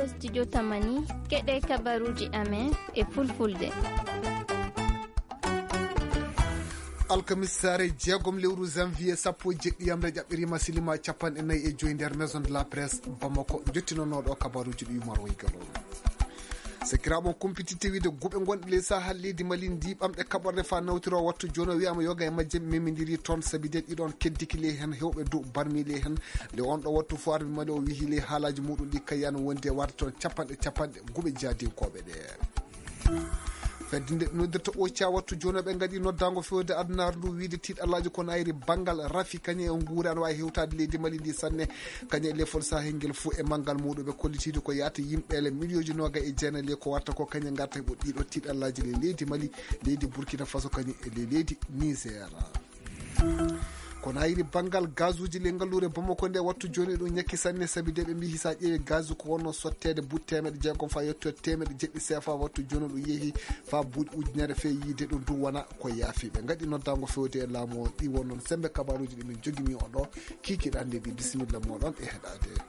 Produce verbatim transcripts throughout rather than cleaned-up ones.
Studio Tamani, keɗe kabaruji amen e fulfulde. Alkamis saare jeegom lewru janvier sappo e jeɗɗi yamre ƴaɓɓirima silima capanɗe nayi e joyi nder maison de la presse Bamako, jottinonooɗo kabaruji ɗi Umar Waygalo. Sakiraaɓe on kumpititte wiide guɓe gonɗe ley Sahel leydi Mali ndi ɓamɗe kaɓorɗe fa nawtiro wattu jooni o wiyama yoga e majje memidiri toon sabi de ɗiɗon keddiki ley hen hewɓe dow barmi ley hen. Nde on ɗo wattu fo armi Mali o wihi ley haalaji muɗum ɗi kayano wondi e warde toon capanɗe capanɗe guɓe jaadinkoɓe ɗe. Fedde nde noddirta oca wattu jooni ɓe ngadi noddago fewde adunaaru ndu wiide tiiɗalaji kono ayri bangal rafi kañe e nguure ana wawi hewtade leydi Mali ndi sanne. Kañe e lefol sahel ngel fuu e manngal muɗum ɓe kollitiiɗo ko yahata yimɓeele miliyonji noga e jeenayi le ko warta ko kañe ngarta heɓo ɗiɗo tiiɗallaaji le leydi Mali, leydi Burkina Faso kañum e le leydi Niger. Kono ayri banngal gazuji le ngalluure Bamako nde wattu jooni ɗum ñakki sanne sabi de ɓe mbihi sa ƴeewi gazu ko wonno sotteede buuɗi teemeɗe jeegom fa yetto teemeɗe jeɗɗi sefa wattu jooni ɗum yehi fa buuɗi ujunere fe yiide ɗum du wona ko yaafi ɓe ngaɗi noddago fewde e laamu o ɗi wonnoon sembe kabaruji ɗi min jogini o ɗo. Kikiɗande ɗi bisimilla moɗon e heɗade.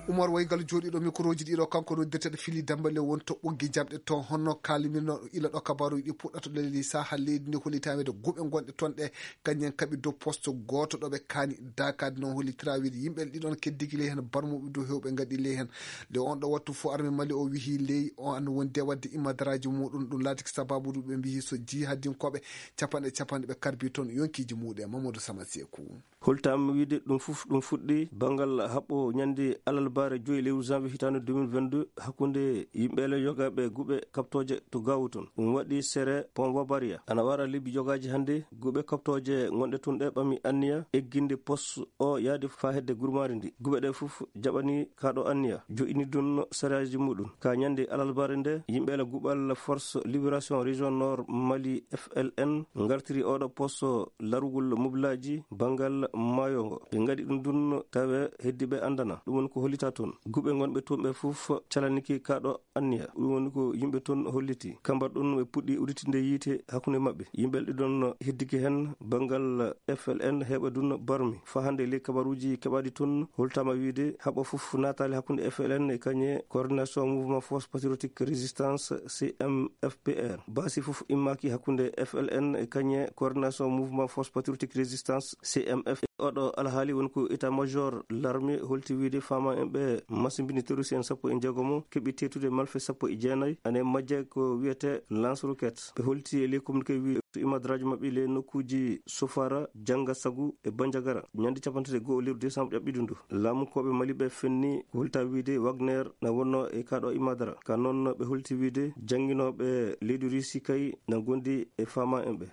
Umar Waygal jooɗiiɗo mikroji ɗiɗo kanko noddirteɗo Fili Dembale woni to ɓoggi jamɗe to honno kalimirnoɗo ila ɗo kabaruji ɗi puɗɗata leydi saha leydi ndi hollitaweede guɓe gonɗe toon ɗe kañum en kaɓi dow poste gooto ɗo ɓe kaani dakade noon hollitira wiide yimɓe ɗiɗon keddigi ley heen barmuɓe dow hewɓe ngaɗi ley heen. Nde on ɗo wattu fof arme Mali o wihi ley o an woni de wadde immadaraaji muɗum ɗum laatiki sababu ɗum ɓe mbihi so jihadinkooɓe capanɗe capanɗe ɓe karbi toon yonkiji muɗum e Mamadou Sama Seeku. Holtaama wiyde ɗum fof ɗum fuɗɗi banngal haɓɓo ñande alarbaare joyi lewru janvier hitaande deux mille vingt-deux hakkunde yimɓeele yogaaɓe guɓe kaɓtooje to Gaawu toon. Ɗum waɗi sere Pont Babaria. Ana wara lebbi yogaaji hannde guɓe kaɓtooje gonɗe toon ɗe ɓami anniya egginde poste o yahde faa hedde gurmaari ndi. Guɓe ɗe fof jaɓani kaa ɗo anniya. Jo'ini ɗum seraaji muɗum. Ka ñande alarbaare nde, yimɓeele guɓal Force Libération Région Nord Mali, F L N, ngartiri oɗo poste larugol mobilaaji banngal maayo ngo. Ɓe ngaɗi ɗum ɗum tawe heddiiɓe anndana. Ɗum woni ko hollita toon. Guɓe gonɓe toon ɓe fof calaniki kaa ɗo anniya. Ɗum woni ko yimɓe toon holliti. Kambar ɗum ɓe puɗɗi udditinde yiite hakkunde maɓɓe. Yimɓe ɗiɗon heddiki heen banngal F L N heɓa ɗum barmi. Faa hannde ley kabaruuji keɓaaɗi toon holtaama wiyde haɓa fof naataali hakkunde F L N e kañe Coordination Mouvement Force Patriotique Résistance, C M F P R. Baasi fof immaaki hakkunde F L N e kañe Coordination Mouvement Force Patriotique Résistance, C M F. Oɗo alhaali woni ko état-major l'armée holti wiyde faama en ɓe masimbini terroriste en sappo e jeegomo keɓi teetude malfe sappo e jeenayi. Ane majje ko wiyete lance roquette. Ɓe holti e ley communiqué wi to imadraaji maɓɓe ley nokkuuji Sofara, Jannga Sagu e Banjagara. Ñande capanɗe tati e go'o lewru décembre ƴaɓɓiɗo ndu. Laamunkooɓe Mali ɓe fenni ko holta wiyde Wagner na wonno e kaa ɗo imadara. Ka noon ɓe holti wiyde jannginooɓe leydi Russie kay na gondi e faama en ɓe.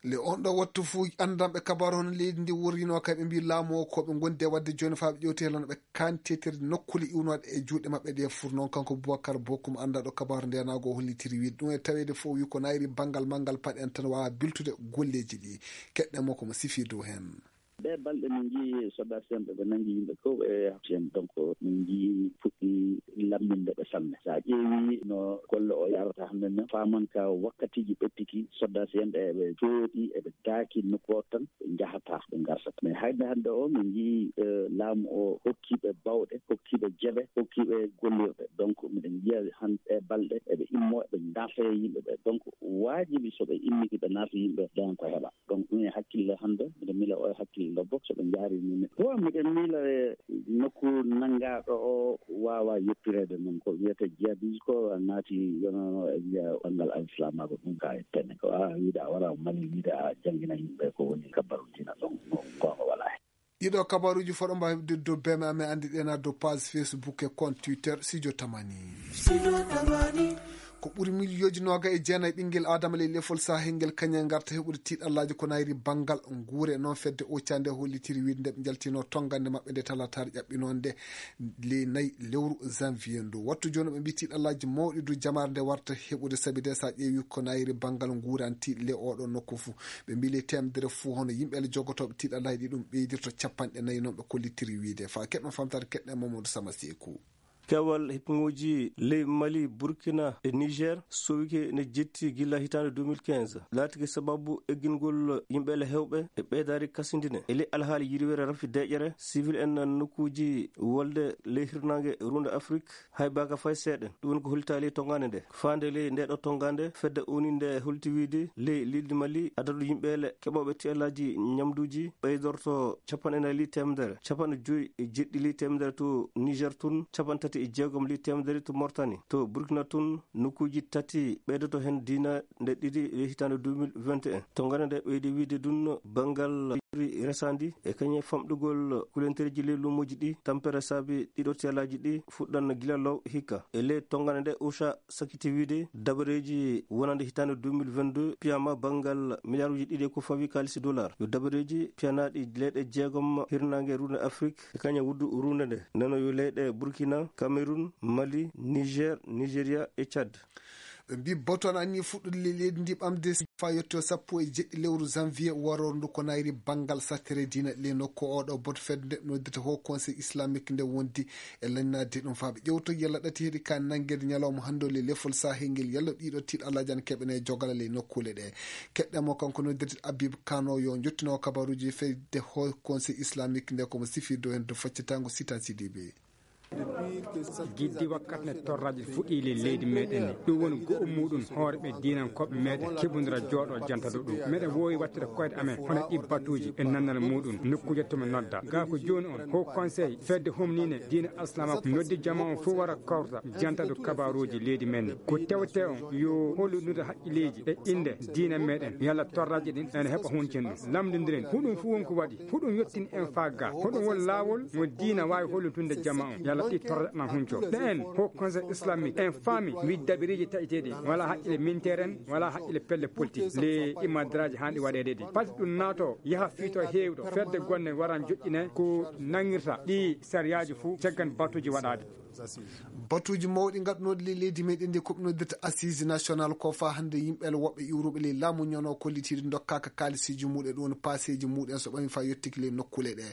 Le on ɗo wattu fuu anndanɓe kabaaru hono leydi ndi wurrino kay ɓe mbi laamu o ko ɓe gondi e waɗde jooni faa ɓe ƴewti helano ɓe kaani teetirde nokkule iwnooɗe e juuɗe maɓɓe ɗe fur noon kanko Boubacar Bokum anndaɗo kabaaru ndenago o hollitiri wiide ɗum e taweede fof wi ko nayri banngal manngal paɗen tan waawa biltude golleeji ɗi. Keɗɗe mo ko mo sifi dow heen. Ɗee balɗe min njii soddaaɓe ɓe nanngi yimɓe fof e heen. Donc min njii puɗɗi lamminde ɓe sanne. So a ƴeewi no golle o yarata hannde ne, faaman ka wakkatiiji ɓettiki soddaaɓe ɓe eɓe jooɗi eɓe daaki nokku o tan, ɓe njahataa, ɓe ngartataa. Mais hayde hannde o min njii eh, laamu o hokkiiɓe bawɗe, hokkiiɓe jeɓe, hokkiiɓe gollirɗe. Donc miɗen njiya hannde ɗee balɗe eɓe immo eɓe ngarta e yimɓe ɓe. Donc waajibi so ɓe immike ɓe naata yimɓe ɓe dañan ko heɓa. Donc ɗum e hakkille hannde, miɗo miila o e hakkille lobbo so ɓe njaari ni. Wa miɗen miila e nokku nanngaaɗo o waawa yettireede noon. Ko wiyetee jihadis ko naati yono e wiya banngal al-islamaagu ɗum ka e pene. Ko a wiide a wara Mali wiide a janngina yimɓe ko woni kabbaru diina ɗon. Ɗum goonga walaa heen. Ɗiɗo kabaruuji fof ɗo mbaawi heɓde dow B M A, mi anndi ɗen haa dow page Facebook e compte Twitter Studio Tamani. Ko ɓuri miliyooji nooga e jeenayi ɓinngel Aadama ley lefol Sahel ngel kañe ngarta heɓude tiiɗallaaji ko nayri banngal nguure. Noon fedde Ocha nde hollitiri wiide nde ɓe njaltino tonngande maɓɓe nde talataare ƴaɓɓinoonde ley nayi lewru janvier ndu. Wattu jooni ɓe mbii tiiɗallaaji mawɗi du jamaare nde warta heɓude sabi de so a ƴeewi ko nayri banngal nguuranti le oɗo nokku fuu. Ɓe mbii ley teemedere fuu hono yimɓe le jogotooɓe tiiɗallaaji ɗi ɗum ɓeydirto capanɗe nayi noon ɓe kollitiri wiide. Faa keɗɗon famtaade keɗɗen Mamadou Sama Seeku. Keewal hippuŋuuji ley Mali, Burkina e Niger sowike ne jetti gila hitaande deux mille quinze, laatike sababu eggingol yimɓeele heewɓe e ɓeydaari kasindine. E ley alhaali yirwere rafi deeƴere, sivil en nokkuuji wolde ley hirnaange ruunde Afrik, hay baaka fay seeɗa. Ɗum woni ko hollitaali e tongaande nde. Faande ley ndeeɗo tongaande, fedde O N U nde holti wiide ley leydi Mali, adadu yimɓeele keɓooɓe tiɗallaaji ñamduuji ɓeydorto capanɗe nayi ley teemedere, capanɗe joyi e jeɗɗi ley teemedere to Niger tun, capanɗe tati e jeegom ley teemedere to Mauritanie, to Burkina tun, nokkuuji tati ɓeydoto heen diina nde ɗiɗi e hitaande deux mille vingt et un. Tongaande nde ɓeydi wiide ɗum banngal resaandi e kañum e famɗugol kulentereeji ley luumooji ɗi, tampere saabi ɗiɗo tiyalaaji ɗi fuɗɗan gila law hikka. E ley tongaande nde, OCHA sakkiti wiide dabareeji wonande hitaande deux mille vingt-deux piyama banngal miliyaaruuji ɗiɗi e ko fawi kaalisi dollar. Yo dabareeji piyanaaɗi leyɗe jeegom hirnaange ruunde Afrik e kañum wuddu ruunde nde. Nano yo leyɗe Burkina, Cameroun, Mali, Niger, Nigeria e Tchad. Ɓe mbi batu ana anni fuɗɗude le-, leydi ndi ɓamde faa yetto sappo e jeɗɗi lewru janvier waroru ndu ko nayri banngal sattere diina le nokku. Oɗo batu fedde nde noddata Haut Conseil Islamique nde wondi e lannade ɗum faa ɓe ƴewto yalla ɗati heɗi ka nanngeede ñalawma hannde le lefol sahel ngel, yalla ɗiɗo tiiɗalaaji ana keɓene jogala le nokkuule ɗe. Keɗɗe mo kanko noddirte Habib Kano yo jottino kabaruuji fedde Haut Conseil Islamique nde ko mo sifirde heen to faccatango Sitan Sidibe. Giddi wakkati nde torraji fuɗɗi le leydi meɗen ndi. Ɗum woni go'o muɗum hoore ɓe diinankooɓe meɗen keɓundira jooɗo jantado ɗum. Meɗen wowi wattude koyɗe amen hono ɗi batuji e nannal muɗum nokkuuje to mi nodda. Ga ko jooni on, Haut Conseil fedde humnine diina Aslama noddi jama on fof wara kawta jantado kabaruji leydi men ndi. Ko tewte on yo holludude haqqilleji e inde diina meɗen, yalla torraji ɗin ene heɓa huncin ɗum. Lamdodiren, huɗum fof won ko waɗi. Huɗum yottin en faa ga. Hoɗum won laawol mo diina waawi hollitunde jama on? Yalla ɗi torra ɗan hunco. Ɗe en, Haut Conseil Islamique, en faami wi dabiriiji taƴeteeɗi. Wala haqqile minteren, wala haqqile pelle politique. Le imadraji haandi waɗeede ɗi. Pati ɗum naato, yaha fiito heewɗo. Fedde gonne waran joƴƴine ko nangirta ɗi sariyaaji fof caggan batuji waɗaade. Batuuji mawɗi ngaddunoɗi le-, leydi meɗen ndi ko ɓe noddirta Assise National ko faa hannde yimɓe le woɓɓe iwruɓe le laamu ñono kollitiiɗi dokkaka kaalisiiji muɗum e ɗum paaseeji muɗum so ɓami faa yottiki le nokkuule ɗe.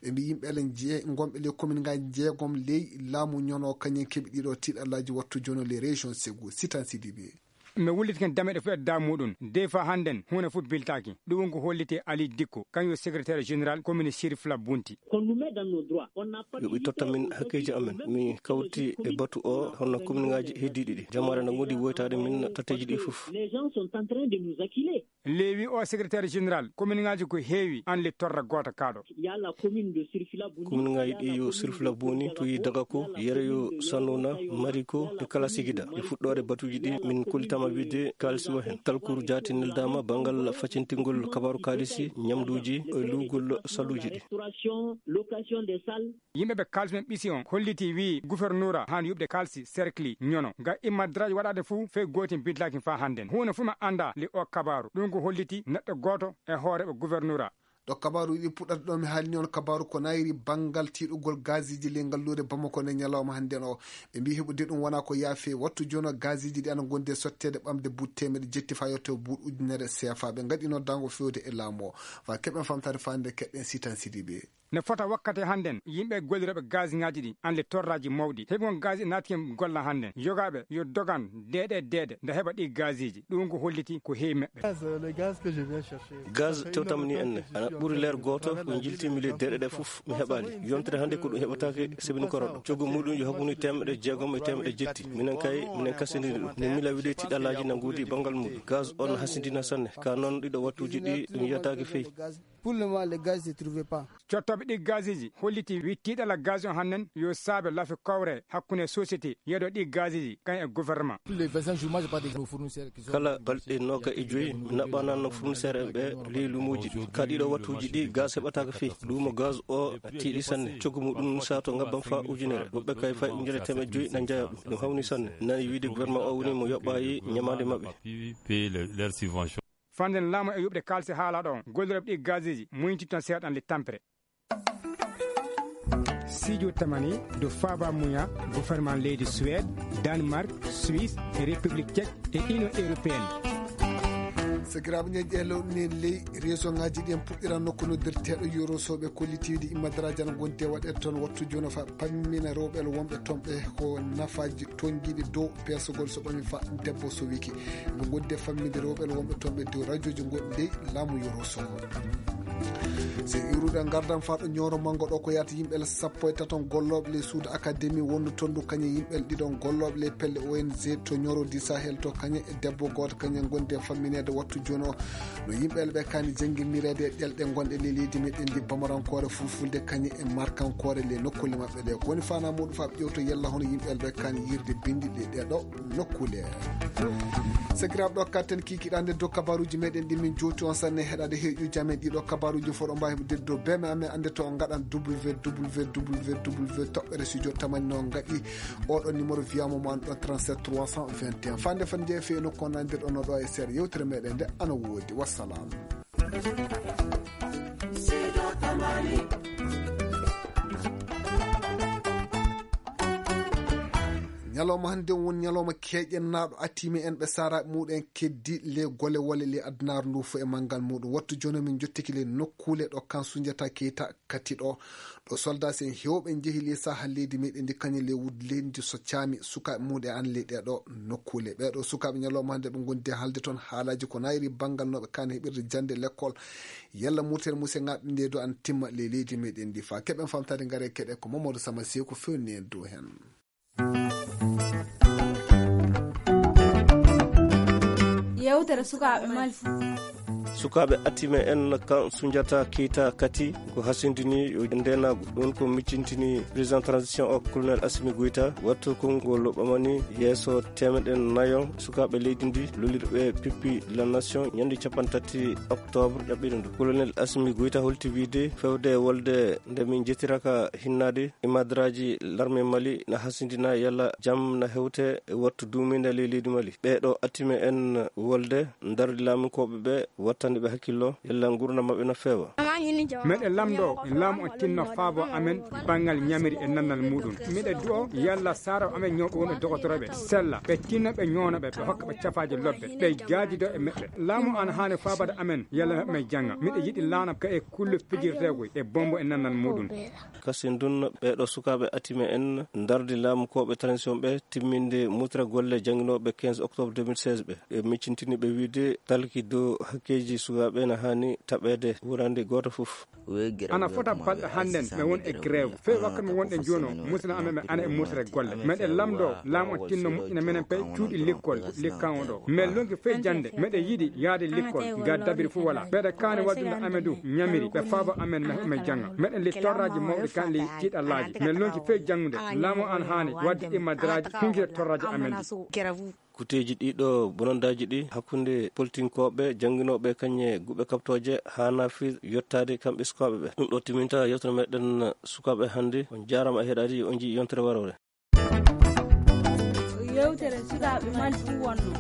Ɓe mbi yimɓe le je-, gonɓe le komin ngaji jeegom ley laamu ñono kañum keɓi ɗiɗo tiiɗallaaji wattu jono le région Ségou, Sitan Sidibe. Mi wulliti ken dameɗe fof e da muɗum. De fa hannden, huunde fof biltaaki. Ɗum ko holliti Ali Dikko, kañum secrétaire général commune Chérif Labunti. Qu'on nous met dans nos droits. On n'a pas de Yo ɓe totta min hakkeeji amen. Mi kawti e batu o, hono commune ngaji heddiɗi ɗi. Jamaare na wondi woytaade min tatteeji ɗi fof. Les gens sont en train de nous acculer. Leewi o secrétaire général, commune ngaji ko heewi, an le torra goota kaɗo. Il y a la commune de Sirfila Buni. Commune ngaji ɗi yo Sirfila Buni, to yi Dagako, yere yo Sanuna, Mariko, e kala sigida. E fuɗɗoore batuji ɗi, min kullitama wiide kaalisi o hen. Talkuru jaati neldaama bangal facintingol kabaru kaalisi, ñamduuji, e luugol saluuji ɗi. Restauration, location des salles. Yimɓe ɓe kaalisi men ɓisi on holliti wi gouverneur haa yuɓde kaalisi cercle ñono. Nga immadraji waɗaade fuu fey gootin bidlaki faa hannden. Huunde fuu ma annda li o kabaru. Ɗum ko holliti neɗɗo gooto e hooreeɓe gouverneur. Ɗo kabaaruuji ɗi puɗɗata ɗo mi haalni on kabaaru ko nayri banngal tiiɗugol gaziiji ley ngalluure Bamako nde ñalawma hannden o. Ɓe mbi heɓude ɗum wona ko yaafe wattu jono gaziiji ɗi ana ngondi e sotteede ɓamde buuɗi teemedde jetti faa yetto buuɗi ujunere seefa. Ɓe ngaɗi noddaango fewde e laamu o. Faa keɓen famtaade faande keɗɗen Sitan Sidibe. Ne fota wakkati hannden yimɓe gollirooɓe gaziŋaaji ɗi an le torraaji mawɗi. Heɓi on gazi naatike golla hannden. Yogaaɓe yo dogan deeɗe deeɗe nde heɓa ɗi gaziiji. Ɗum ko holliti ko heewi meɓɓe. Gaz, le gaz que je viens chercher. Gaz tewtammi ni enne, ana ɓuri leer gooto ko jiltimi ley deeɗe ɗe fof mi heɓaali. Yontere hannde ko ɗum heɓataake sebini koroɗo. Coggu muɗum yo hakkunde teemedde jeegom e teemedde jetti. Minen kay, minen kasindini ɗum. Min mila wiɗe tiɗalaaji na ngoodi banngal muɗum. Gaz on hasindina sanne. Ka noon ɗiɗo wattuuji ɗi ɗum yiyataake fey. Pour le moment, le gaz ne trouvait pas. Cottooɓe ɗi gaziiji holliti wi tiɗala gaz on hannden yo saabe lafi kowre hakkunde société yeɗo ɗi gaziiji kañ e gouvernement. Tous les vingt-cinq jours, moi, j'ai pas de fournisseurs qui sont Kala balɗe nooga e joyi, mi naɓɓanano fournisseur en ɓe ley luumuuji ɗi. Ka ɗiɗo wattuuji ɗi, gaz heɓataaka fey. Luumo gaz o tiiɗi sanne. Coggu muɗum saato ngabban faa ujunere. Woɓɓe kay fay ujunere teemeɗɗe joyi na njaya ɗum. Ɗum hawni sanne. Nani wiide gouvernement o woni mo yoɓɓaayi ñamaande maɓɓe. Payer le-, leur subvention. Fannden laamu e yuɓde kaalisi haalaaɗo on, gollirooɓe ɗi gaziiji muñtitton seeɗan le tampere. Sijo tamani do Faba Muya, gouvernement leydi Suède, Danemark, Suisse, e République Tchèque e Union Européenne. Sakiraaɓe, ñeeñe ɗe lewɗe ley région ŋaaji ɗi en puɗɗiran nokku noddirteeɗo Yoro Soɓe kollitiiɗi immadaraaji ana ngonti e waɗeede toon wattu jooni fa pammina rewɓe wonɓe toon ɓe ko nafaaji toñgiiɗi dow peesogol so ɓami fa debbo so wiki. Ɓe ngondi e famminde rewɓe wonɓe toon ɓe dow rajooji goɗɗi ley laamu Yoro Soɓe. So iwruɗen ngardan faa ɗo ñooro manngo ɗo ko yahata yimɓe sappo e taton gollooɓe ley suudu akademi wondu toon du kañe yimɓe ɗiɗon gollooɓe ley pelle O N G to ñooro di Sahel to kañe e debbo gooto kañe ngondi e fammineede wattu jooni o. No yimɓe ɓe kaani jannginireede e ɗelɗe gonɗe ley leydi meɗen ndi bamarankoore fulfulde kañe e markankoore ley nokkuule maɓɓe ɗe. Ko woni faanaa muɗum faa ɓe ƴewto yalla hono yimɓe ɓe kaani yirde binndi ɗe ɗeɗo nokkuule. Sakiraaɓe, ɗo katten kikiɗande dow kabaruuji meɗen ɗi min jooti on sanne heɗade heeƴuuji amen ɗiɗo kabaruuji fof ɗo mbaawi heddude dow beme amen annde to on ngaɗan W W W toɓɓere studio tamani no ngaɗi oɗo numéro wiyamo mo an ɗo trente-sept trois cent vingt et un. Fande fande jeeya feeno ko nandirɗo no ɗo e seeɗa yewtere meɗen nde ana woodi. Wassalam. Ñalawma hannde won ñalawma keeƴen naaɗo atimi en ɓe saaraaɓe muɗen keddi le gole wole le addunaar ndu fo e manngal muɗum. Wattu jooni min jottiki le nokkuule ɗo kan Sunjata Keita kati ɗo, ɗo soldaas en heewɓe njehi le saha leydi meɗen ndi kañum le wud leydi so caami sukaaɓe muɗe an le ɗeɗo nokkuule. Ɓeɗo sukaaɓe ñalawma hannde ɓe ngondi haalde toon haalaaji ko nayri banngal no ɓe kaani heɓirde jannde lekkol. Yalla murtere muse ngaɓɓinde do an timma le leydi meɗen ndi fa keɓen famtade ngare keɗe ko Mamadou Sama Seeku fewni en dow hen. Yewtere sukaaɓe Mali. Sukaaɓe atime en kan Sunjata Keita kati ko hasindini yo ndeenaagu. Ɗum ko miccintini président transition o colonel Assimi Goïta. Wattu konngol ɓamani yeeso temeɗe nayo sukaaɓe leydi ndi lolirɓe pippi la nation ñande capanɗe tati octobre ɗaɓɓiɗo ndu. Colonel Assimi Goïta holti wiide fewde wolde nde min jetiraka hinnaade imadraji larme Mali na hasindina yalla jam na hewte e wattu duuminde ley leydi Mali. Ɓeeɗo attime en wolde ndardi laamunkooɓe ɓe wattande ɓe hakkillo yalla ngurna maɓɓe na feewa. Meɗe lamdo laamu o tinno faabo amen banngal ñamiri e nannal muɗum. Miɗe du'o yalla saaro amen ñawɓe won e dogotoroɓe sella ɓe tinno ɓe ñoono ɓe ɓe hokka ɓe cafaaji lobbe ɓe jaajido e meɓɓe. Laamu an haani faabade amen yalla meɓɓe jannga. Miɗe yiɗi laana ka e kulle pijirteegoy e bombo e nannal muɗum. Kasin ɗun ɓeeɗo sukaaɓe atime en ndardi laamu kooɓe transition ɓe timminde mutra golle jannginooɓe quinze octobre deux mille seize ɓe. Ɓe miccintini ɓe wiide talki dow hakkeeji sukaaɓe na haani taɓeede wurande gooto fof. Ana fota balɗe hannden mi won e grève fey wakka mi wonɗe jono musina amen men ana e mutra golle meɗen lamdo laamu o tinno moƴƴina menen pay cuuɗi lekkol likkan o ɗo men lonki fey jannde meɗen yiɗi yaade lekkol ga dabiri fof wala ɓeɗe kaani waddude amen du ñamiri ɓe faabo amen men men jannga meɗen li torraji mawɗi kan li tiiɗallaaji men lonki fey janngude laamu an haani wadde immadraji hunjire torraji amen ɗi. Kuteeji ɗiɗo bonondaaji ɗi hakkunde politinkooɓe jannginooɓe kañe guɓe kaɓtooje haana fii yottaade kamɓe sukaaɓe ɓe. Ɗum ɗo timinta yewtere meɗen sukaaɓe hannde. On jaaraama e heɗaade, on njii yontere waroore. Yewtere sukaaɓe Mali ɗum wonno.